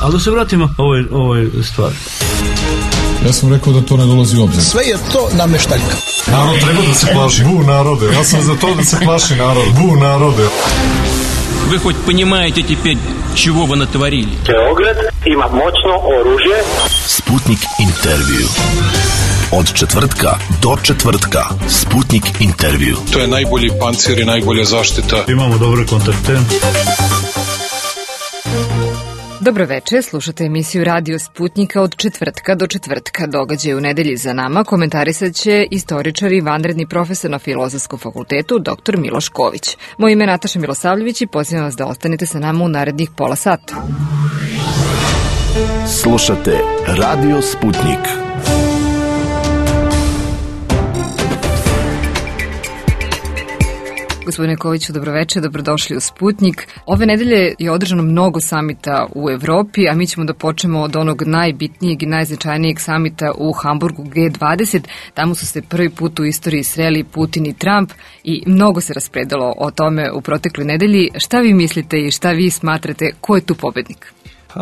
Ali da se vratimo ovoj stvari. Ja sam rekao da to ne dolazi u obzir. Sve je to nameštaljka. Narod treba da se plaši. Bu narode. Ja sam za to da se plaši narod. Bu narode. Вы хоть понимаете теперь, чего вы натворили? Beograd ima moćno oružje. Sputnik intervju. Od četvrtka do četvrtka. Sputnik intervju. To je najbolji pancir i najbolja zaštita. Imamo dobre kontakte. Dobro večer, slušate emisiju Radio Sputnika od četvrtka do četvrtka. Događaj u nedelji za nama komentarisat će istoričar i vanredni profesor na Filozofskom fakultetu dr. Miloš Ković. Moje ime je Nataša Milosavljević i pozivam vas da ostanete sa nama u narednih pola sata. Slušate Radio Sputnik. Gospodine Koviću, dobroveče, dobrodošli u Sputnik. Ove nedelje je održano mnogo samita u Evropi, a mi ćemo da počnemo od onog najbitnijeg i najznačajnijeg samita u Hamburgu G20. Tamo su se prvi put u istoriji sreli Putin i Trump i mnogo se raspredalo o tome u protekloj nedelji. Šta vi mislite i šta vi smatrate, ko je tu pobednik?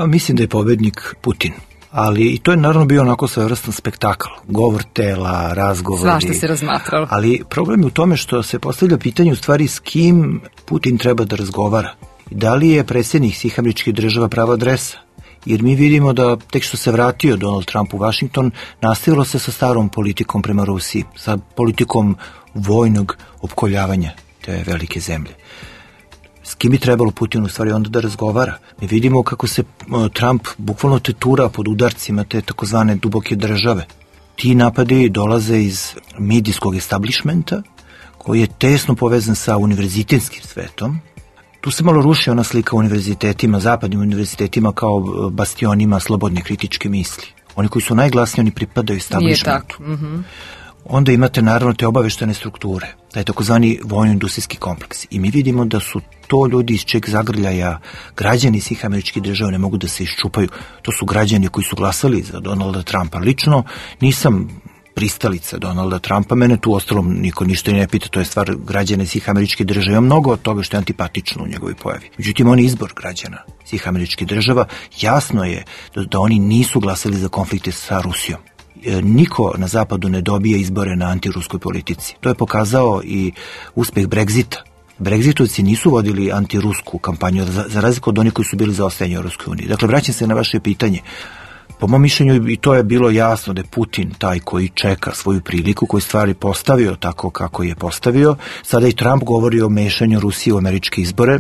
Mislim da je pobednik Putin. Ali i to je naravno bio onako svojevrstan spektakl, govor tela, razgovori. Svašta se razmatralo. Ali problem je u tome što se postavlja pitanje u stvari s kim Putin treba da razgovara. Da li je predsjednik svih američkih država prava adresa? Jer mi vidimo da tek što se vratio Donald Trump u Washington, nastavilo se sa starom politikom prema Rusiji, sa politikom vojnog opkoljavanja te velike zemlje. S kim bi trebalo Putin u stvari onda da razgovara? Mi vidimo kako se Trump bukvalno tetura pod udarcima te takozvane duboke države. Ti napadi dolaze iz medijskog establishmenta, koji je tesno povezan sa univerzitetskim svetom. Tu se malo ruši ona slika univerzitetima, zapadnim univerzitetima kao bastionima slobodne kritičke misli. Oni koji su najglasniji, oni pripadaju establishmentu. Nije tako. Onda imate naravno te obaveštene strukture, taj takozvani vojno-industrijski kompleks. I mi vidimo da su to ljudi iz čeg zagrljaja građani svih američkih država ne mogu da se iščupaju. To su građani koji su glasali za Donalda Trumpa. Lično nisam pristalica Donalda Trumpa, mene tu ostalom niko ništa ne pita, to je stvar građana svih američkih država. Ima mnogo od toga što je antipatično u njegovoj pojavi. Međutim, on je izbor građana svih američkih država. Jasno je da oni nisu glasali za konflikte sa Rusijom. Niko na zapadu ne dobija izbore na antiruskoj politici. To je pokazao i uspeh Brexita. Brexitovci nisu vodili antirusku kampanju, za razliku od onih koji su bili za ostajanje u Europskoj uniji. Dakle, vraćam se na vaše pitanje. Po mom mišljenju, i to je bilo jasno da je Putin taj koji čeka svoju priliku, koji stvari postavio tako kako je postavio. Sada i Trump govori o mešanju Rusije u američke izbore.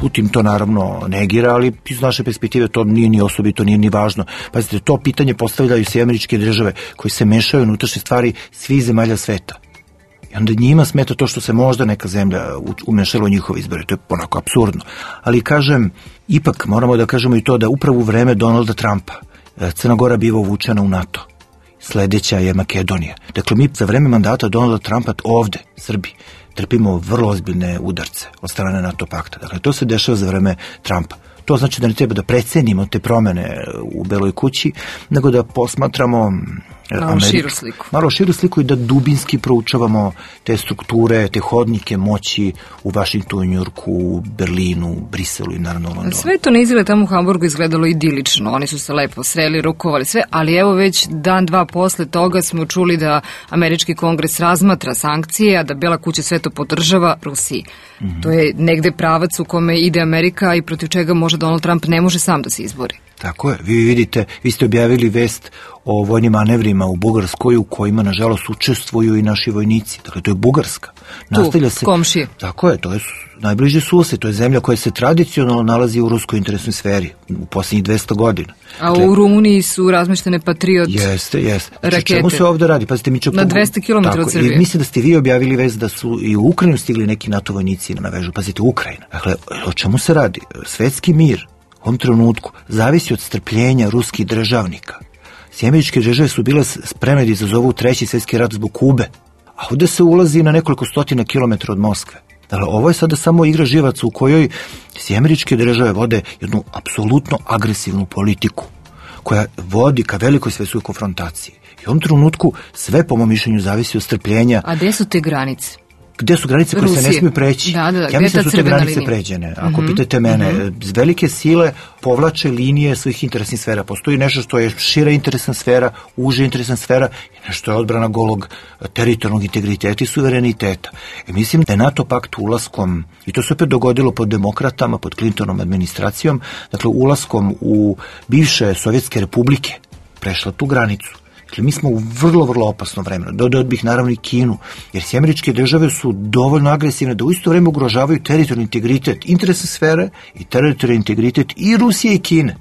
Putin to naravno negira, ali iz naše perspektive to nije ni osobito, nije ni važno. Pazite, to pitanje postavljaju sve američke države koji se mešaju u unutrašnje stvari svih zemalja sveta. I onda njima smeta to što se možda neka zemlja umešala u njihove izbore. To je onako apsurdno. Ali kažem, ipak moramo da kažemo i to da upravo u vreme Donalda Trumpa Crna Gora biva uvučena u NATO. Sledeća je Makedonija. Dakle, mi za vreme mandata Donalda Trumpa ovde, Srbi, trpimo vrlo ozbiljne udarce od strane NATO pakta. Dakle, to se dešava za vreme Trumpa. To znači da ne treba da precenimo te promene u Beloj kući, nego da posmatramo malo širu sliku i da dubinski proučavamo te strukture, te hodnike moći u Vašingtonu, Njujorku, Berlinu, Briselu i naravno Londonu. Sve to na izgled tamo u Hamburgu izgledalo idilično. Oni su se lepo sreli, rukovali sve, ali evo već dan, dva posle toga smo čuli da američki kongres razmatra sankcije, a da Bela kuća sve to podržava Rusiji. To je negde pravac u kome ide Amerika i protiv čega može Donald Trump ne može sam da se izbori. Tako je, vi vidite, vi ste objavili vest o vojnim manevrima u Bugarskoj u kojima nažalost učestvuju i naši vojnici. Dakle, to je Bugarska. Nastavlja se komšije. Tako je, to je najbliži sused, to je zemlja koja se tradicionalno nalazi u ruskoj interesnoj sferi u posljednjih 200 godina. A dakle, u Rumuniji su razmeštene Patriot rakete. Znači, čemu se ovde radi? Pazite, mi na 200 km od Srbije. Mislim da ste vi objavili vest da su i u Ukrajinu stigli neki NATO vojnici na vežu. Pazite, Ukrajina. Dakle, o čemu se radi? Svetski mir u ovom trenutku zavisi od strpljenja ruskih državnika. Američke države su bile spremne da izazovu treći svjetski rat zbog Kube, a ovde se ulazi na nekoliko stotina kilometara od Moskve. Dakle, ovo je sada samo igra živaca u kojoj američke države vode jednu apsolutno agresivnu politiku koja vodi ka velikoj svjetskoj konfrontaciji. I u ovom trenutku sve, po mom mišljenju, zavisi od strpljenja. A gde su te granice? gde su granice koje se ne smiju preći. Da, ja mislim da su te granice pređene. Ako pitate mene, velike sile povlače linije svih interesnih sfera. Postoji nešto što je šira interesna sfera, uža interesna sfera i nešto je odbrana golog teritorijalnog integriteta i suvereniteta. I mislim da je NATO pakt ulaskom, i to se opet dogodilo pod demokratama, pod Clintonom administracijom, dakle ulaskom u bivše Sovjetske republike, prešla tu granicu. Dakle, mi smo u vrlo, vrlo opasnom vremenu. Dodao bih naravno i Kinu, jer Američke države su dovoljno agresivne da u isto vreme ugrožavaju teritorijalni integritet interesne sfere i teritorijalni integritet i Rusije i Kine.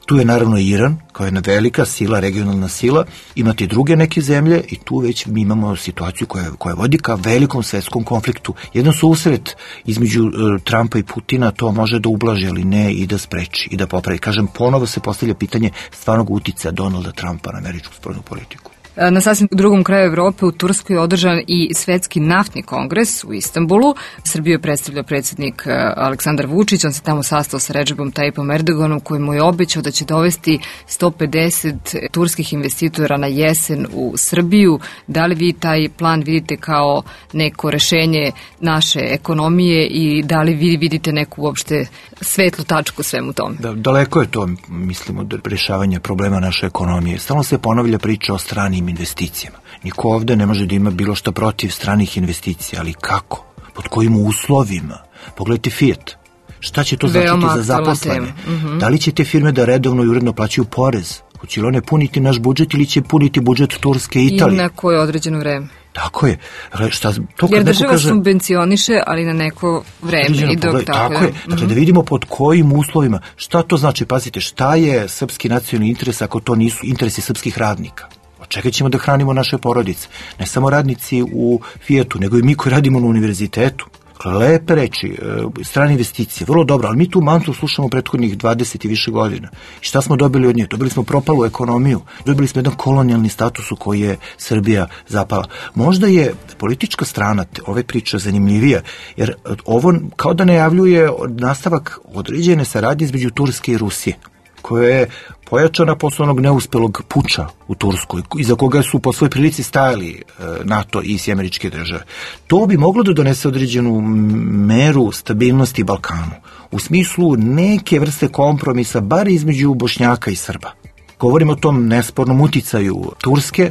Tu je naravno Iran, kao jedna velika sila, regionalna sila, imate i druge neke zemlje i tu već mi imamo situaciju koja vodi ka velikom svetskom konfliktu. Jedan susret između Trumpa i Putina to može da ublaži, ali ne i da spreči i da popravi. Kažem, ponovo se postavlja pitanje stvarnog uticaja Donalda Trumpa na američku spoljnu politiku. Na sasvim drugom kraju Evrope u Turskoj je održan i Svetski naftni kongres u Istanbulu. Srbiju je predstavljao predsjednik Aleksandar Vučić, on se tamo sastao sa Redžepom Tayyipom Erdoganom koji mu je obećao da će dovesti 150 turskih investitora na jesen u Srbiju. Da li vi taj plan vidite kao neko rešenje naše ekonomije i da li vi vidite neku uopšte svetlu tačku svemu tome? Daleko je to, mislimo, od rešavanja problema naše ekonomije. Stalno se ponavlja priča o stranim investicijama. Niko ovde ne može da ima bilo što protiv stranih investicija, ali kako? Pod kojim uslovima? Pogledajte Fiat. Šta će to značiti za zaposlene? Da li će te firme da redovno i uredno plaćaju porez? Hoće li one puniti naš budžet ili će puniti budžet Turske i Italije? I na koje određeno vreme. Tako je. Jer država subvencioniše, ali na neko vreme. Tako je. Dakle, da vidimo pod kojim uslovima. Šta to znači? Pazite, šta je srpski nacionalni interes ako to nisu interesi srpskih radnika? Od čega ćemo da hranimo naše porodice? Ne samo radnici u Fiatu, nego i mi koji radimo na univerzitetu. Lepe reči, strane investicije, vrlo dobro, ali mi tu mantru slušamo prethodnih 20 i više godina. I šta smo dobili od nje? Dobili smo propalu ekonomiju, dobili smo jedan kolonijalni status u koji je Srbija zapala. Možda je politička strana ove priče zanimljivija, jer ovo kao da najavljuje nastavak određene saradnje između Turske i Rusije, koja je pojačana posle onog neuspelog puča u Turskoj, iza koga su po svoj prilici stajali NATO i Američke države. To bi moglo da donese određenu meru stabilnosti Balkanu, u smislu neke vrste kompromisa, bar između Bošnjaka i Srba. Govorimo o tom nespornom uticaju Turske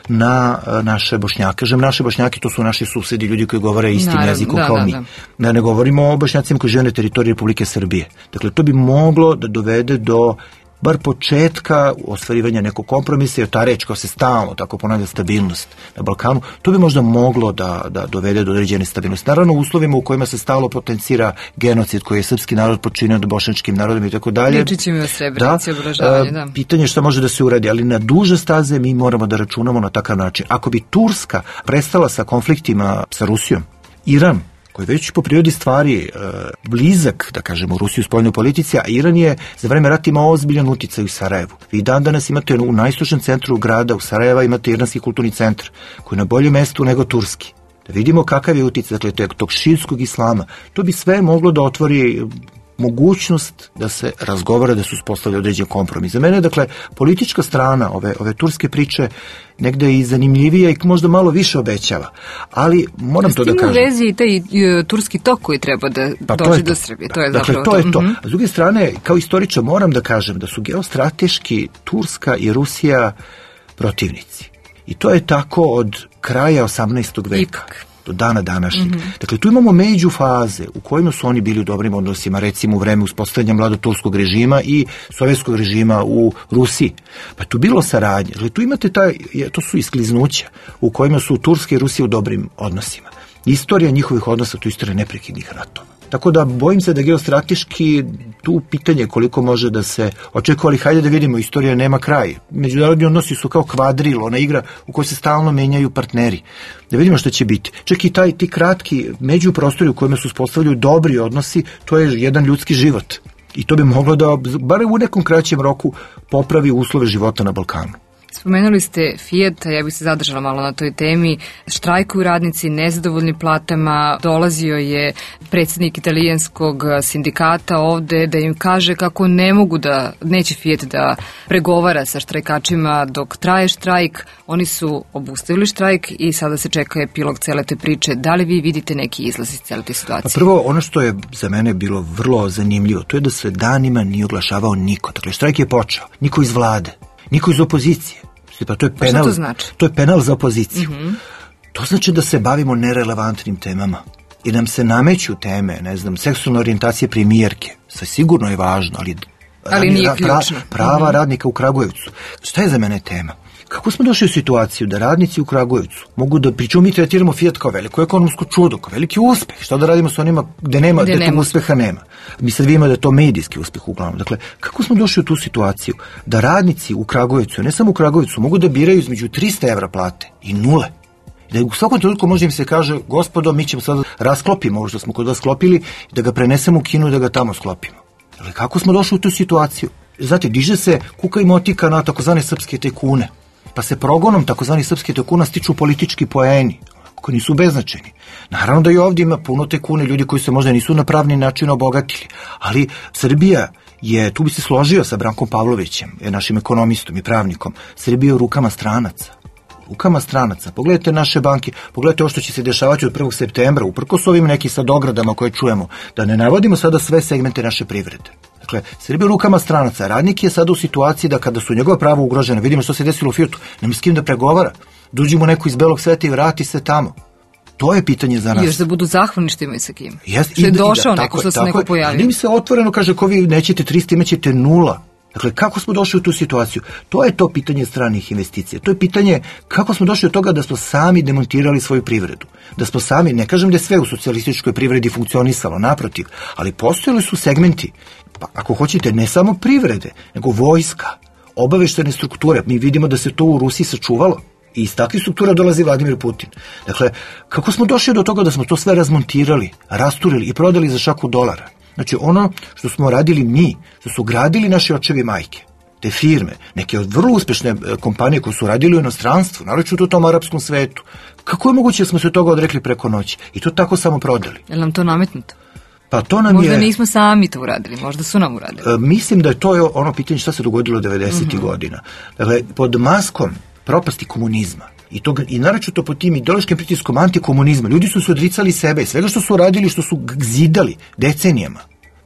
na naše Bošnjake. Kažem naše Bošnjaki, to su naši susedi, ljudi koji govore istim jezikom kao mi. Ne govorimo o Bošnjacima koji žive na teritoriji Republike Srbije. Dakle, to bi moglo da dovede do bar početka ostvarivanja nekog kompromisa, jer ta reč koja se stalno tako ponavlja, stabilnost na Balkanu, to bi možda moglo da dovede do određene stabilnosti. Naravno, u uslovima u kojima se stalno potencira genocid koji je srpski narod počinio nad bošnjačkim narodom i tako dalje. Ličićemo o Srebrenici, obražavanje, da. Pitanje šta može da se uradi, ali na duže staze mi moramo da računamo na takav način. Ako bi Turska prestala sa konfliktima sa Rusijom, Iran, koji je već po prirodi stvari blizak, da kažemo, u Rusiji u spoljnoj politici, a Iran je za vreme rata imao ozbiljan uticaj u Sarajevu. Vi dan danas imate u najistočnom centru grada, u Sarajeva, imate Iranski kulturni centar, koji je na boljem mestu nego turski. Da vidimo kakav je uticaj, dakle, tog šiitskog islama. To bi sve moglo da otvori mogućnost da se razgovara, da se uspostavlja određen kompromis. Za mene, dakle, politička strana ove turske priče negde i zanimljivija i možda malo više obećava. Ali moram to da kažem. S tim u vezi i taj turski tok koji treba da dođe do Srbije. To je dakle, to je to. A s druge strane, kao istoričar moram da kažem da su geostrateški Turska i Rusija protivnici. I to je tako od kraja 18. veka. Do dana današnjeg. Dakle, tu imamo među faze u kojima su oni bili u dobrim odnosima, recimo u vreme uspostavljanja mladoturskog režima i sovjetskog režima u Rusiji. Pa tu bilo saradnje. Dakle, tu imate to su iskliznuća u kojima su Turska i Rusija u dobrim odnosima. Istorija njihovih odnosa, to je istorija neprekidnih ratova. Tako da bojim se da geostrateški tu pitanje koliko može da se očekuje, ali hajde da vidimo, istorija nema kraj. Međunarodni odnosi su kao kvadril, ona igra u kojoj se stalno menjaju partneri. Da vidimo što će biti. Čak i ti kratki međuprostori u kojima su uspostavljaju dobri odnosi, to je jedan ljudski život. I to bi moglo da, bar u nekom kraćem roku, popravi uslove života na Balkanu. Spomenuli ste Fiat, ja bih se zadržala malo na toj temi. Štrajkuju radnici, nezadovoljni platama, dolazio je predsjednik italijanskog sindikata ovde da im kaže kako neće Fiat da pregovara sa štrajkačima dok traje štrajk. Oni su obustavili štrajk i sada se čeka epilog cele te priče. Da li vi vidite neki izlaz iz cele te situacije? Prvo, ono što je za mene bilo vrlo zanimljivo, to je da se danima nije oglašavao niko. Dakle, štrajk je počeo. Niko iz vlade, niko iz opozicije. Pa to je penal, to znači? To je penal za opoziciju. To znači da se bavimo nerelevantnim temama. I nam se nameću teme, ne znam, seksualne orijentacije premijerke. Sve sigurno je važno, ali nije ključno. Prava radnika u Kragujevcu. Šta je za mene tema? Kako smo došli u situaciju da radnici u Kragujevcu mogu da, pričamo, mi tretiramo Fiat kao veliko ekonomsko čudo, kao veliki uspeh. Šta da radimo sa onima gde tog uspeha nema? Mi sad vidimo da je to medijski uspeh uglavnom. Dakle, kako smo došli u tu situaciju da radnici u Kragujevcu, ne samo u Kragujevcu, mogu da biraju između 300 evra plate i nule? Da u svakom trenutku može im se kaže, gospodo, mi ćemo sad rasklopimo ovo što smo kod vas sklopili, da ga prenesemo u Kinu i da ga tamo sklopimo. Dakle, kako smo došli u tu situaciju? Znate, diže se kuka i motika na takozvane srpske tajkune, pa se progonom takozvanih srpskih tajkuna stiču politički poeni, koji nisu beznačajni. Naravno da i ovdje ima puno tajkune, ljudi koji se možda nisu na pravni način obogatili, ali Srbija je, tu bi se složio sa Brankom Pavlovićem, našim ekonomistom i pravnikom, Srbija u rukama stranaca. Rukama stranaca. Pogledajte naše banke, pogledajte ovo što će se dešavati od 1. septembra, uprkos ovim nekim sad ogradama koje čujemo, da ne navodimo sada sve segmente naše privrede. Dakle, Srbija u rukama stranaca. Radnik je sada u situaciji da kada su njegova prava ugrožena, vidimo što se desilo u Fiatu, nema s kim da pregovara. Dođi mu neko iz belog sveta i vrati se tamo. To je pitanje za nas. Još da budu zahvalni što imaju sa kim. Što je došao neko, što se neko pojavio. Njim se otvoreno kaže, ko vi nećete 300, imaćete 0. Dakle, kako smo došli u tu situaciju? To je to pitanje stranih investicija. To je pitanje kako smo došli od toga da smo sami demontirali svoju privredu. Da smo sami, ne kažem da je sve u socijalističkoj privredi funkcionisalo, naprotiv, ali postojali su segmenti, pa ako hoćete, ne samo privrede, nego vojska, obaveštene strukture. Mi vidimo da se to u Rusiji sačuvalo. I iz takvih struktura dolazi Vladimir Putin. Dakle, kako smo došli do toga da smo to sve razmontirali, rasturili i prodali za šaku dolara? Znači, ono što smo radili mi, što su gradili naši očevi majke, te firme, neke od vrlo uspešne kompanije koje su radili u inostranstvu, naročito u tom arapskom svetu, kako je moguće da smo se toga odrekli preko noći i to tako samo prodali? Je li nam to nametnuto? Pa to nam možda nismo sami to uradili, možda su nam uradili. Mislim da je to ono pitanje šta se dogodilo 90. godina. Dakle, pod maskom propasti komunizma i naročito pod tim ideološkim pritiskom antikomunizma, ljudi su se odricali sebe i svega što su radili, što su zidali decenijama.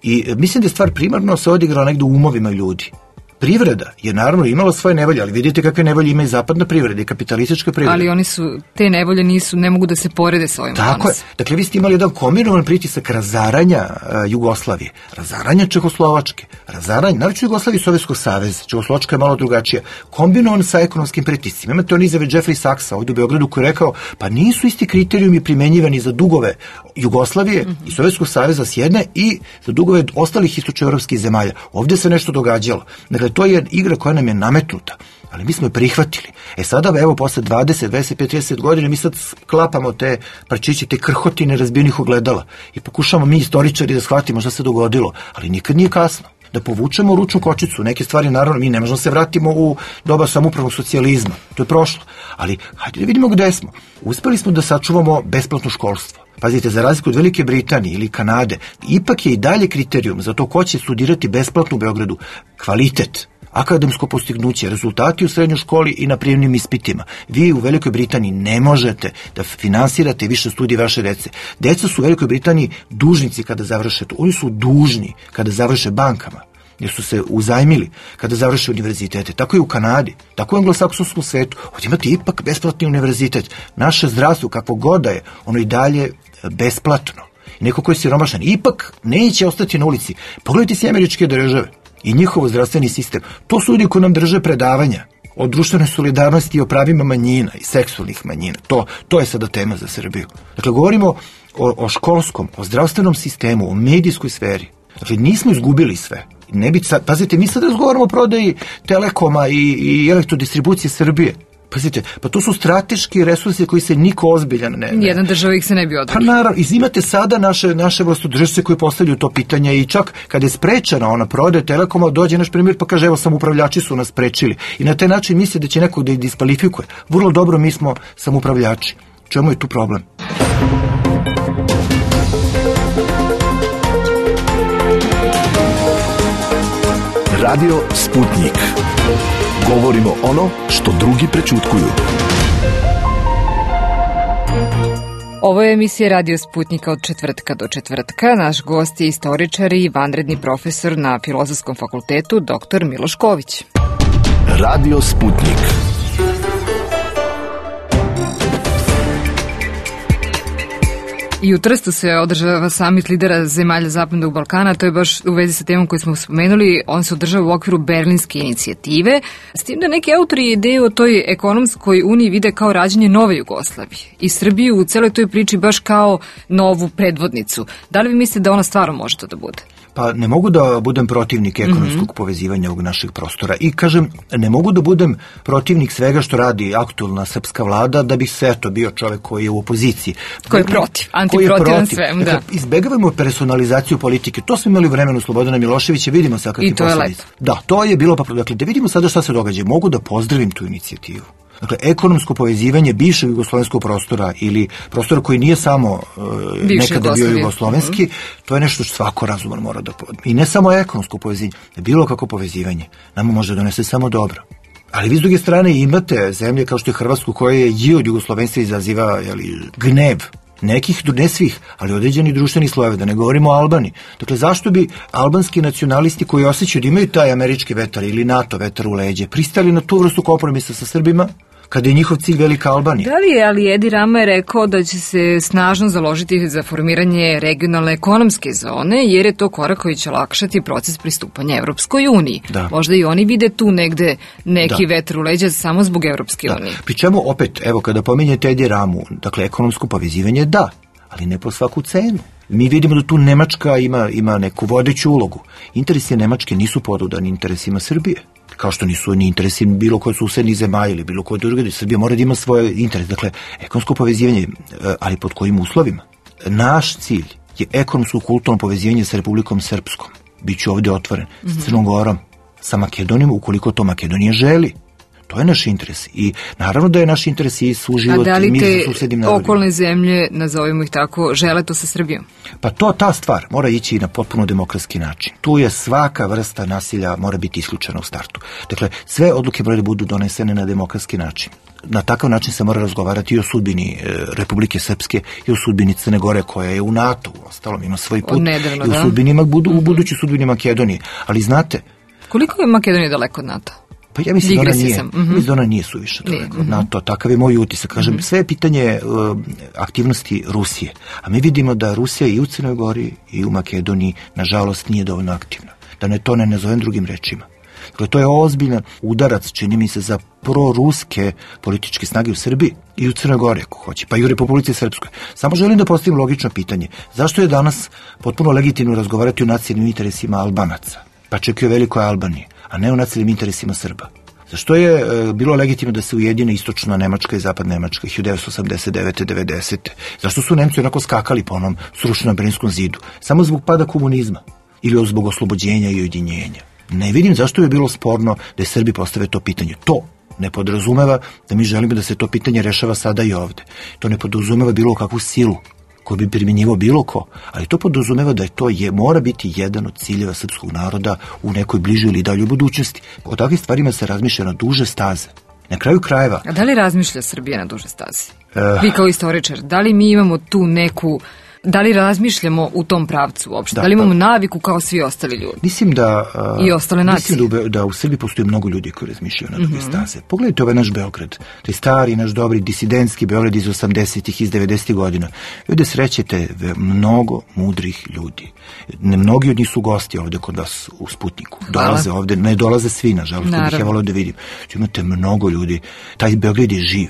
I mislim da je stvar primarno se odigrala negdje u umovima ljudi. Privreda je naravno imala svoje nevolje, ali vidite kakve nevolje ima i zapadna privreda i kapitalistička privreda. Ali oni su, te nevolje ne mogu da se porede s ovim. Tako je. Dakle, vi ste imali jedan kombinovan pritisak razaranja Jugoslavije, razaranja Čehoslovačke, razaranja, naročito Jugoslavije i Sovjetskog saveza, Čehoslovačka je malo drugačija, kombinovan sa ekonomskim pritiscima. Imate on izjave Jeffrey Sachsa ovdje u Beogradu koji je rekao, pa nisu isti kriterijumi primenjivani za dugove Jugoslavije i Sovjetskog saveza s jedne i za dugove ostalih istočnoevropskih zemalja. Ovdje se nešto događalo. Dakle, to je igra koja nam je nametnuta, ali mi smo je prihvatili. Sada, evo, posle 20, 25, 30 godina mi sad sklapamo te parčiće, te krhotine razbijenih ogledala i pokušamo mi istoričari da shvatimo šta se dogodilo, ali nikad nije kasno. Da povučemo ručnu kočicu, neke stvari, naravno, mi ne možemo se vratimo u doba samoupravnog socijalizma, to je prošlo, ali hajde da vidimo gde smo. Uspeli smo da sačuvamo besplatno školstvo. Pazite, za razliku od Velike Britanije ili Kanade, ipak je i dalje kriterijum za to ko će studirati besplatno u Beogradu kvalitet, akademsko postignuće, rezultati u srednjoj školi i na prijemnim ispitima. Vi u Velikoj Britaniji ne možete da finansirate više studije vaše dece. Deca su u Velikoj Britaniji dužnici kada završe to. Oni su dužni kada završe bankama, jer su se uzajmili kada završe univerzitete. Tako i u Kanadi, tako i u anglosaksonskom svetu. Ovdje imate ipak besplatni univerzitet. Naše zdravstvo, kakvo god da je, ono i dalje besplatno. Neko koji je siromašan, ipak neće ostati na ulici. Pogledajte si Američke države i njihov zdravstveni sistem. To su ljudi koji nam drže predavanja o društvenoj solidarnosti i o pravima manjina i seksualnih manjina. To je sada tema za Srbiju. Dakle, govorimo o školskom, o zdravstvenom sistemu, o medijskoj sferi. Dakle, nismo izgubili sve. Pazite, mi sad razgovaramo o prodaji Telekoma i elektrodistribucije Srbije. Pazite, pa to su strateški resursi koji se niko ozbiljan ne... Jedna država ih se ne bi odrekla. Pa naravno, imate sada naše vlastodržce koji postavljaju to pitanje i čak kada je sprečena ona prodaja Telekoma, dođe naš premijer pa kaže evo samoupravljači su nas sprečili. I na taj način misle da će neko da ih diskvalifikuje. Vrlo dobro, mi smo samoupravljači. Čemu je tu problem? Radio Sputnik. Govorimo ono što drugi prećutkuju. Ovo je emisija Radio Sputnika od četvrtka do četvrtka. Naš gost je istoričar i vanredni profesor na Filozofskom fakultetu, dr. Miloš Ković. Radio Sputnik. I u Trstu se održava samit lidera zemalja Zapadnog Balkana, to je baš u vezi sa temom koju smo spomenuli, on se održava u okviru Berlinske inicijative, s tim da neki autori ideju o toj ekonomskoj uniji vide kao rađenje nove Jugoslavije i Srbiju u celoj toj priči baš kao novu predvodnicu. Da li vi mislite da ona stvarno može to da bude? Pa ne mogu da budem protivnik ekonomskog povezivanja ovog našeg prostora i kažem, ne mogu da budem protivnik svega što radi aktualna srpska vlada da bih se bio čovek koji je u opoziciji. Koji je protiv, antiprotivan svem, da. Izbegavamo personalizaciju politike, to smo imali u vremenu Slobodana Miloševića, vidimo sad kakvi posledice. Da, to je bilo, dakle, da vidimo sada šta se događa. Mogu da pozdravim tu inicijativu. Dakle, ekonomsko povezivanje bivšeg jugoslovenskog prostora ili prostora koji nije samo nekada bio jugoslovenski, to je nešto što svako razuman mora da... I ne samo ekonomsko povezivanje, bilo kako povezivanje. Nama može donese samo dobro. Ali vi s druge strane imate zemlje kao što je Hrvatsku koja je i od jugoslovenstva izaziva gnev. Nekih, ne svih, ali određeni društveni slojeve, da ne govorimo o Albaniji. Dakle, zašto bi albanski nacionalisti koji osjećaju da imaju taj američki vetar ili NATO vetar u leđe pristali na tu vrstu kompromisa sa Srbima, kada je njihov cilj velika Albanija? Da li je, ali Edi Rama je rekao da će se snažno založiti za formiranje regionalne ekonomske zone, jer je to korak koji će olakšati proces pristupanja Evropskoj uniji. Da. Možda i oni vide tu negde neki vetar u leđa samo zbog Evropske unije. Pri čemu opet, evo, kada pominjete Edi Ramu, dakle, ekonomsko povezivanje da, ali ne po svaku cenu. Mi vidimo da tu Nemačka ima neku vodeću ulogu. Interesi Nemačke nisu podudani interesima Srbije. Kao što nisu ni interesi bilo koje susednih zemalja ili bilo koje druge, Srbija mora da ima svoje interese. Dakle, ekonomsko povezivanje, ali pod kojim uslovima? Naš cilj je ekonomsko-kulturno povezivanje sa Republikom Srpskom. Biću ovde otvoren. S Crnom Gorom, sa Makedonijom, ukoliko to Makedonija želi. To je naš interes. I naravno da je naš interes i suživot mi za susednim narodima. A da li te okolne zemlje, nazovimo ih tako, žele to sa Srbijom? Pa ta stvar mora ići na potpuno demokratski način. Tu je svaka vrsta nasilja mora biti isključena u startu. Dakle, sve odluke moraju da budu donesene na demokratski način. Na takav način se mora razgovarati i o sudbini Republike Srpske i o sudbini Crne Gore koja je u NATO, uostalom ima svoj put. Nedavno, i o sudbinima, u budućoj sudbini Makedonije. Ali znate... Koliko je Makedonija daleko od NATO? Pa ja mislim da ona nije suviše daleko od NATO, takav je moj utisak. Kažem, sve je pitanje aktivnosti Rusije. A mi vidimo da Rusija i u Crnoj Gori i u Makedoniji, nažalost, nije dovoljno aktivna. Da to ne nazovem drugim rečima. Dakle, to je ozbiljan udarac, čini mi se, za proruske političke snage u Srbiji i u Crnoj Gori, ako hoće, pa i u Republici Srpskoj. Samo želim da postavim logično pitanje. Zašto je danas potpuno legitimno razgovarati o nacionalnim interesima Albanaca, pa čak i o velikoj Albaniji, a ne o nacionalnim interesima Srba? Zašto je bilo legitimno da se ujedine istočna Nemačka i zapadna Nemačka 1989. 90. Zašto su Nemci onako skakali po onom srušenom Berlinskom zidu? Samo zbog pada komunizma ili zbog oslobođenja i ujedinjenja? Ne vidim zašto bi bilo sporno da Srbi postave to pitanje. To ne podrazumeva da mi želimo da se to pitanje rešava sada i ovde. To ne podrazumeva bilo kakvu silu koju bi primjenjivao bilo ko, ali to podrazumeva da mora biti jedan od ciljeva srpskog naroda u nekoj bližoj ili daljoj budućnosti. O takvim stvarima se razmišlja na duže staze. Na kraju krajeva... A da li razmišlja Srbija na duže staze? Vi kao istoričar, da li mi imamo tu neku... Da li razmišljamo u tom pravcu uopšte? Da li imamo naviku kao svi ostali ljudi? Mislim da... I ostale nacije? Mislim da u Srbiji postoji mnogo ljudi koji razmišljaju na duge staze. Pogledajte ovaj naš Beograd. Taj stari, naš dobri, disidentski Beograd iz 80-ih, iz 90-ih godina. Ovdje srećete mnogo mudrih ljudi. Mnogi od njih su gosti ovde kod vas u Sputniku. Dolaze ovde, ne dolaze svi, nažalost, bih ja volio da vidim. Imate mnogo ljudi. Taj Beograd je živ.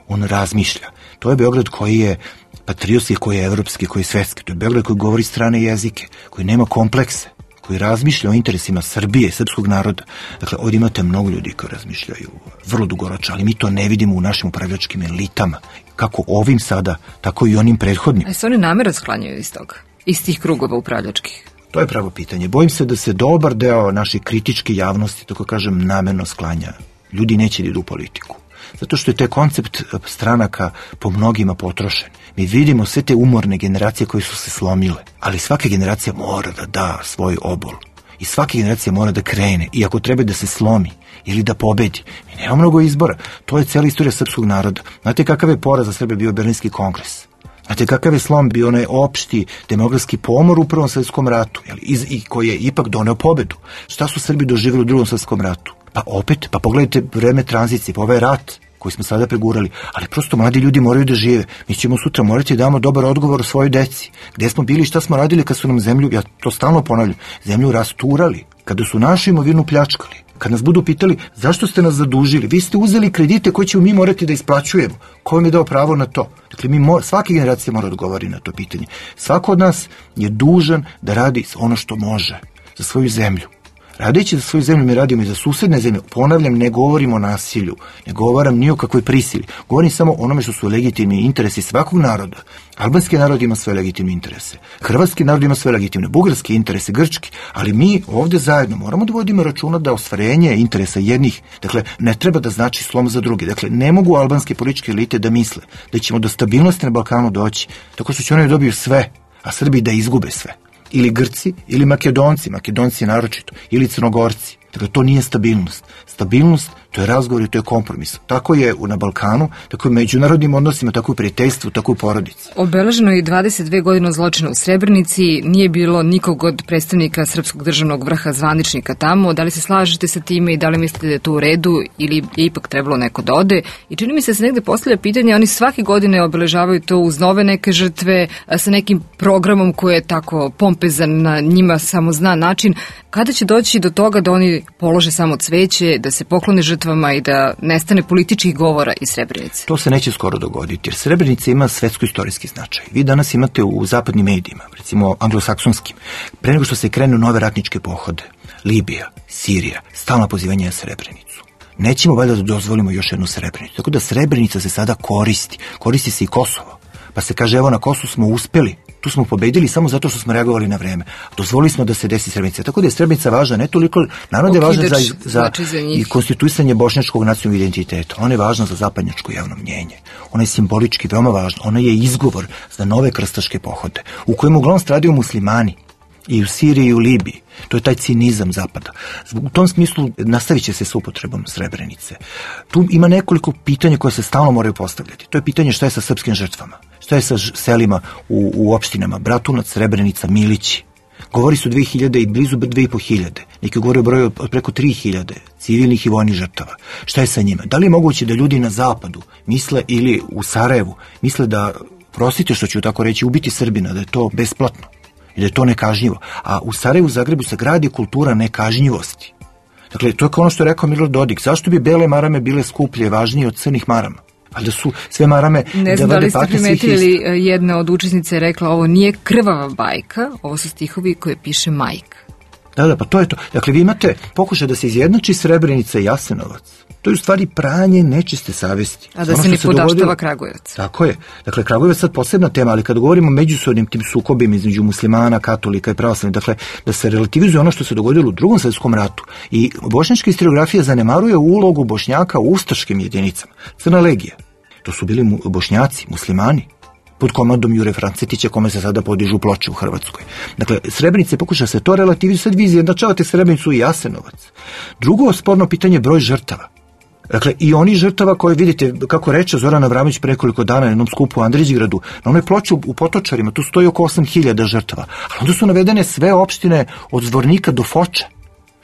On razmišlja. To je Beograd koji je patriotski, koji je evropski, koji je svetski. To je Beograd koji govori strane jezike, koji nema komplekse, koji razmišlja o interesima Srbije, srpskog naroda. Dakle, ovdje imate mnogo ljudi koji razmišljaju vrlo dugoročno, ali mi to ne vidimo u našim upravljačkim elitama. Kako ovim sada, tako i onim prethodnim. A se oni namjerno sklanjaju iz toga? Iz tih krugova upravljačkih? To je pravo pitanje. Bojim se da se dobar deo naše kritičke javnosti, tako kažem, namerno sklanja. Ljudi neće da idu u politiku. Zato što je taj koncept stranaka po mnogima potrošen. Mi vidimo sve te umorne generacije koje su se slomile, ali svaka generacija mora da da svoj obol. I svaka generacija mora da krene, i ako treba da se slomi ili da pobedi. Mi nema mnogo izbora. To je cijela istorija srpskog naroda. Znate kakav je poraz za Srbe bio Berlinski kongres? Znate kakav je slom bio onaj opšti demografski pomor u Prvom svjetskom ratu, i koji je ipak doneo pobedu? Šta su Srbi doživjeli u Drugom svjetskom ratu? Pa opet, pogledajte vreme tranzicije, pa ovaj rat koji smo sada pregurali, ali prosto mladi ljudi moraju da žive. Mi ćemo sutra morati da damo dobar odgovor o svojoj deci. Gde smo bili i šta smo radili kad su nam zemlju, ja to stalno ponavljam, zemlju rasturali, kada su našu imovinu pljačkali, kad nas budu pitali zašto ste nas zadužili, vi ste uzeli kredite koje ćemo mi morati da isplaćujemo, ko vam je dao pravo na to? Dakle, svaka generacija mora odgovoriti na to pitanje. Svako od nas je dužan da radi ono što može za svoju zemlju. Radeći za svoju zemlju mi radimo i za susedne zemlje. Ponavljam, ne govorim o nasilju, ne govorim ni o kakvoj prisili. Govorim samo o onome što su legitimni interesi svakog naroda. Albanski narod ima svoje legitimne interese. Hrvatski narod ima svoje legitimne, bugarski interese, grčki. Ali mi ovdje zajedno moramo da vodimo računa da ostvarenje interesa jednih, dakle, ne treba da znači slom za druge. Dakle, ne mogu albanske političke elite da misle da ćemo do stabilnosti na Balkanu doći tako što će oni dobiju sve, a Srbi da izgube sve. Ili Grci, ili Makedonci naročito, ili Crnogorci. Dakle, to nije stabilnost. Stabilnost, to je razgovor i to je kompromis. Tako je na Balkanu, tako je u međunarodnim odnosima, tako u prijateljstvu, tako u porodici. Obeleženo je 22 godine zločina u Srebrenici, nije bilo nikog od predstavnika srpskog državnog vrha zvaničnika tamo. Da li se slažete sa time i da li mislite da je to u redu ili je ipak trebalo neko da ode? I čini mi se da se negde postavlja pitanje, oni svake godine obeležavaju to uz nove neke žrtve, sa nekim programom koji je tako pompezan, na njima samo zna način. Kada će doći do toga da oni polože samo cveće, da se poklone žrtvama i da nestane političkih govora iz Srebrenice? To se neće skoro dogoditi, jer Srebrenica ima svetsko-istorijski značaj. Vi danas imate u zapadnim medijima, recimo anglosaksonskim, pre nego što se krenu nove ratničke pohode, Libija, Sirija, stalno pozivanje na Srebrenicu. Nećemo valjda da dozvolimo još jednu Srebrenicu. Tako da Srebrenica se sada koristi se i Kosovo. Pa se kaže, evo, na Kosovu smo uspeli, tu smo pobedili samo zato što smo reagovali na vreme. Dozvolili smo da se desi Srebrenica. Tako da je Srebrenica važna, ne toliko, narod je važan za i konstituisanje bošnjačkog nacionalnog identiteta. Ona je važna za zapadnjačko javno mnjenje. Ona je simbolički veoma važna. Ona je izgovor za nove krstaške pohode, u kojem uglavnom stradaju muslimani. I u Siriji i u Libiji. To je taj cinizam zapada. U tom smislu nastavit će se s upotrebom Srebrenice. Tu ima nekoliko pitanja koje se stalno moraju postavljati. To je pitanje šta je sa srpskim žrtvama. Šta je sa selima u opštinama Bratunac, Srebrenica, Milići. Govori su 2000 i blizu 2500. Neki govore o broju od preko 3000 civilnih i vojnih žrtava. Šta je sa njima? Da li je moguće da ljudi na zapadu misle ili u Sarajevu misle da, prostite što ću tako reći, ubiti Srbina, da je to besplatno i da je to nekažnjivo. A u Sarajevu, Zagrebu se gradi kultura nekažnjivosti. Dakle, to je kao ono što je rekao Milorad Dodik. Zašto bi bele marame bile skuplje, važnije od crnih marama? Ali da su sve marame... Ne znam da li ste primetili, jedna od učesnica je rekla, ovo nije krvava bajka, ovo su stihovi koje piše majka. Da, pa to je to. Dakle, vi imate pokušaj da se izjednači Srebrenica i Jasenovac. To je u stvari pranje nečiste savesti. A da se ne podaštava Kragujevac. Tako je. Dakle, Kragujevac je sad posebna tema, ali kad govorimo o međusobnim tim sukobima između muslimana, katolika i pravoslavnih, dakle, da se relativizuje ono što se dogodilo u Drugom svjetskom ratu. I bošnjačka istoriografija zanemaruje ulogu Bošnjaka u ustaškim jedinicama. Crna legija. To su bili Bošnjaci, muslimani, pod komandom Jure Francetića, kome se sada podižu ploče u Hrvatskoj. Dakle, Srebrenice pokuša se to relativizuje, sad vi izjednačavate Srebrenicu i Jasenovac. Drugo sporno pitanje je broj žrtava. Dakle, i oni žrtava koje vidite, kako reče Zoran Abramović pre nekoliko dana na jednom skupu u Andrićgradu, na onoj ploči u Potočarima, tu stoji oko 8000 žrtava. Ali onda su navedene sve opštine od Zvornika do Foča.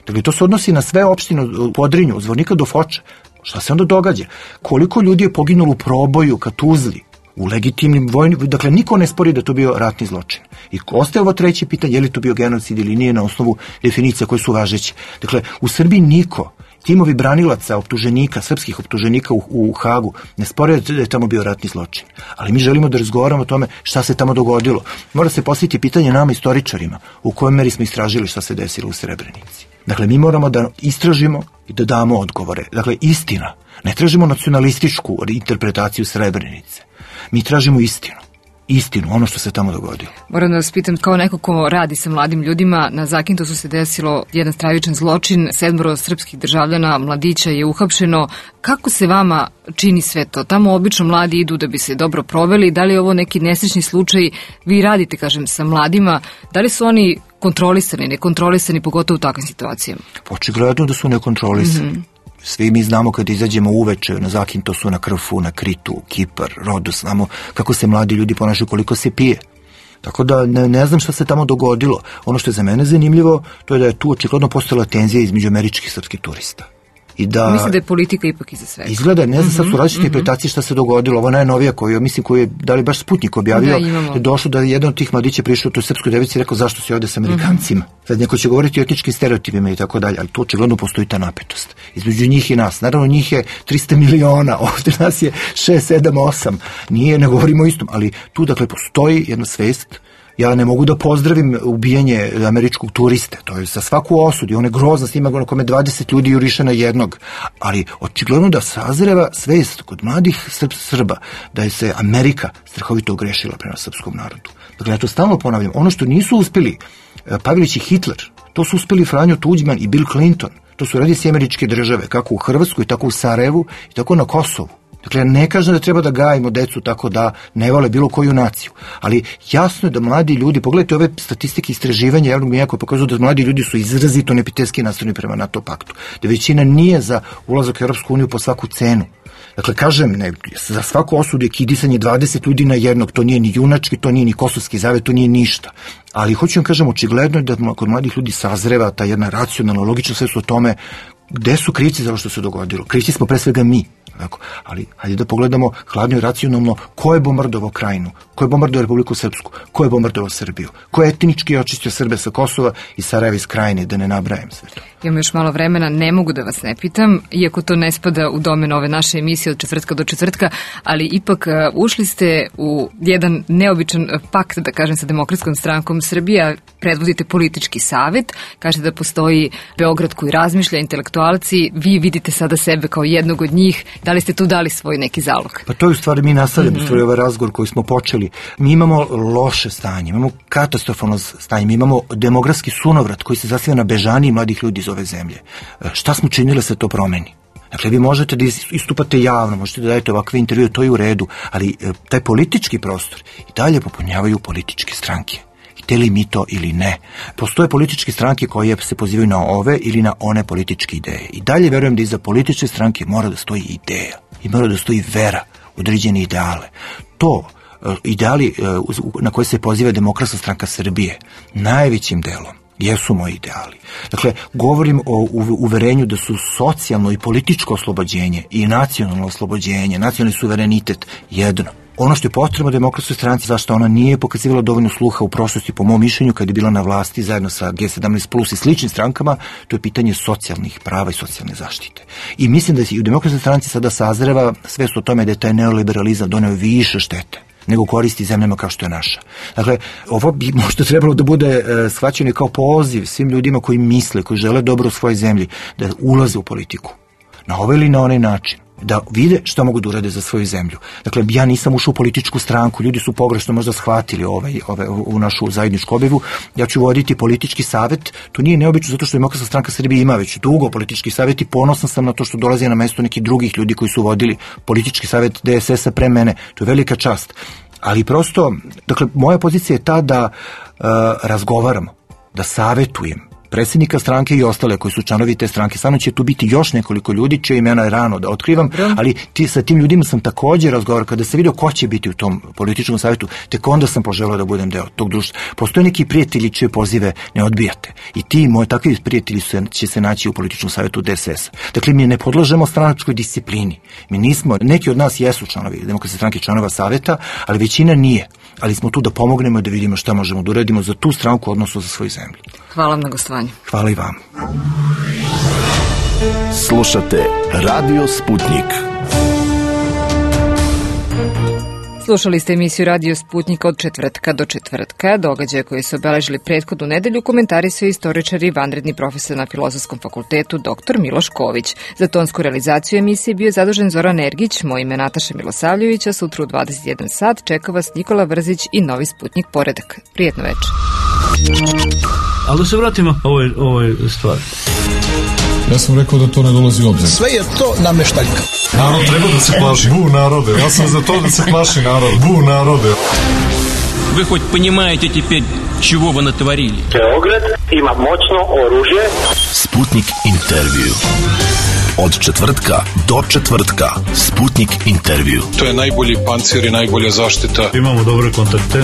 Dakle, to se odnosi na sve opštine u Podrinju, od Zvornika do Foča. Šta se onda događa? Koliko ljudi je poginulo u proboju, ka Tuzli, u legitimnim vojnim... Dakle, niko ne spori da to bio ratni zločin. I ostaje ovo treće pitanje, je li to bio genocid ili nije na osnovu definicija koje su važeće. Dakle, u Srbiji niko timovi branilaca, optuženika, srpskih optuženika u Hagu, ne spore da je tamo bio ratni zločin. Ali mi želimo da razgovaramo o tome šta se tamo dogodilo. Mora se postaviti pitanje nama istoričarima, u kojoj meri smo istražili šta se desilo u Srebrenici. Dakle, mi moramo da istražimo i da damo odgovore. Dakle, istina. Ne tražimo nacionalističku interpretaciju Srebrenice. Mi tražimo istinu, ono što se tamo dogodilo. Moram da vas pitam, kao neko ko radi sa mladim ljudima, na Zakintosu se desilo jedan stravičan zločin, 7 srpskih državljana, mladića je uhapšeno. Kako se vama čini sve to? Tamo obično mladi idu da bi se dobro proveli. Da li je ovo neki nesrećni slučaj? Vi radite, kažem, sa mladima. Da li su oni kontrolisani, nekontrolisani, pogotovo u takvim situacijama? Očigledno da su nekontrolisani. Svi mi znamo kada izađemo uveče na Zakintosu, na Krfu, na Kritu, Kipar, Rodos, znamo kako se mladi ljudi ponašaju, koliko se pije. Tako da ne znam šta se tamo dogodilo. Ono što je za mene zanimljivo, to je da je tu očigledno postojala tenzija između američkih i srpskih turista. Mislim da je politika ipak iza svega. Izgleda, ne znam, sad su različite interpretacije šta se dogodilo. Ovo najnovija koju je, da li baš Sputnik objavio, je došlo da je jedan od tih mladića prišao u toj srpskoj devici i rekao zašto si ovde sa Amerikancima. Sad neko će govoriti o etničkim stereotipima i tako dalje, ali tu očigledno postoji ta napetost između njih i nas. Naravno, njih je 300 miliona, ovde nas je 6, 7, 8. Ne govorimo o istom, ali tu, dakle, postoji jedna svest. Ja ne mogu da pozdravim ubijanje američkog turiste, to je za svaku osudu, on je grozna snima na kome 20 ljudi juriše na jednog, ali očigledno da sazreva svest kod mladih Srba da je se Amerika strahovito ogrešila prema srpskom narodu. Dakle, ja to stalno ponavljam, ono što nisu uspeli Pavelić i Hitler, to su uspeli Franjo Tuđman i Bill Clinton, to su radi američke države, kako u Hrvatskoj, tako u Sarajevu i tako na Kosovu. Dakle, ne kažem da treba da gajimo decu tako da ne vole bilo koju naciju, ali jasno je da mladi ljudi, pogledajte ove statistike istraživanja javnog mnjenja koje pokazuju da mladi ljudi su izrazito neprijateljski nastrojeni prema NATO paktu, da većina nije za ulazak u Europsku uniju po svaku cenu. Dakle, kažem, za svaku osudu je kidisanje 20 ljudi na jednog, to nije ni junački, to nije ni kosovski zavet, to nije ništa. Ali hoću vam kažem, očigledno je da kod mladih ljudi sazreva ta jedna racionalna, logična svest o tome gde su krivci za ovo što se dogodilo. Krivci smo pre svega mi. Ali hajde da pogledamo hladno i racionalno ko je bombardovao Krajinu, ko je bombardovao Republiku Srpsku, ko je bombardovao Srbiju, ko je etnički očistio Srbe sa Kosova i Sarajeva iz Krajine, da ne nabrajam sve to. Imam još malo vremena, ne mogu da vas ne pitam, iako to ne spada u domen ove naše emisije od četvrtka do četvrtka, ali ipak ušli ste u jedan neobičan pakt, da kažem, sa Demokratskom strankom Srbije, predvodite politički savet, kažete da postoji Beograd koji razmišlja, intelektualci, vi vidite sada sebe kao jednog od njih, da li ste tu dali svoj neki zalog? Pa to je u stvari, mi nastavljamo u stvari ovaj razgovor koji smo počeli. Mi imamo loše stanje, imamo katastrofalno stanje, mi imamo demografski sunovrat koji se zasniva na bežaniji mladih ljudi iz ove zemlje. Šta smo činili da se to promeni? Dakle, vi možete da istupate javno, možete da dajete ovakve intervjue, to je u redu, ali taj politički prostor i dalje popunjavaju političke stranke. Hteli mi to ili ne. Postoje političke stranke koje se pozivaju na ove ili na one političke ideje. I dalje verujem da iza političke stranke mora da stoji ideja i mora da stoji vera, određene ideale. To, ideali na koje se poziva Demokratska stranka Srbije, najvećim delom jesu moji ideali. Dakle, govorim o uverenju da su socijalno i političko oslobođenje i nacionalno oslobođenje, nacionalni suverenitet jedno. Ono što je potrebno Demokratskoj stranci, zašto ona nije pokazivala dovoljno sluha u prošlosti, po mom mišljenju, kad je bila na vlasti zajedno sa G17 plus i sličnim strankama, to je pitanje socijalnih prava i socijalne zaštite. I mislim da se i u Demokratskoj stranci sada sazreva svest o tome da je taj neoliberalizam doneo više štete nego koristi zemljama kao što je naša. Dakle, ovo bi možda trebalo da bude shvaćeno kao poziv svim ljudima koji misle, koji žele dobro u svojoj zemlji, da ulaze u politiku. Na ovaj ili na onaj način. Da vide šta mogu da urade za svoju zemlju. Dakle, ja nisam ušao u političku stranku, ljudi su pogrešno možda shvatili u našu zajedničku objavu. Ja ću voditi politički savet, to nije neobično zato što Demokratska stranka Srbije ima već dugo politički savet i ponosan sam na to što dolazi na mesto nekih drugih ljudi koji su vodili politički savet DSS-a pre mene. To je velika čast. Ali prosto, dakle, moja pozicija je ta da razgovaramo, da savetujem predsjednika stranke i ostale koji su članovi te stranke. Samo će tu biti još nekoliko ljudi čije imena je rano da otkrivam, ali sa tim ljudima sam također razgovarao. Kada sam vidio ko će biti u tom političkom savjetu, tek onda sam poželeo da budem deo tog društva. Postoje neki prijatelji čije pozive ne odbijate. I ti moji takvi prijatelji će se naći u političkom savjetu DSS. Dakle, mi ne podlažemo stranačkoj disciplini. Mi nismo, neki od nas jesu članovi Demokratske stranke, članova savjeta, ali većina nije. Ali smo tu da pomognemo i da vidimo šta možemo da uradimo za tu stranku, odnosno za svoju zemlju. Hvala vam na gostovanju. Hvala i vam. Slušate Radio Sputnik. Slušali ste emisiju Radio Sputnik od četvrtka do četvrtka. Događaje koji su obeležili prethodnu nedelju komentarisao istoričar i vanredni profesor na Filozofskom fakultetu dr. Miloš Ković. Za tonsku realizaciju emisije bio zadužen Zoran Ergić, moje ime Nataša Milosavljević, a sutra u 21 sat čeka vas Nikola Vrzić i Novi Sputnik Poredak. Prijetno večer. Ali da se vratimo ovoj stvari. Ja sam rekao da to ne dolazi u obzir. Sve je to nameštaljka. Narod treba da se plaši. Bu narode. Ja sam za to da se plaši narod. Bu narode. Вы хоть понимаете теперь, чего вы натворили? Beograd ima moćno oružje. Sputnik intervju. Od četvrtka do četvrtka. Sputnik intervju. To je najbolji pancir i najbolja zaštita. Imamo dobre kontakte.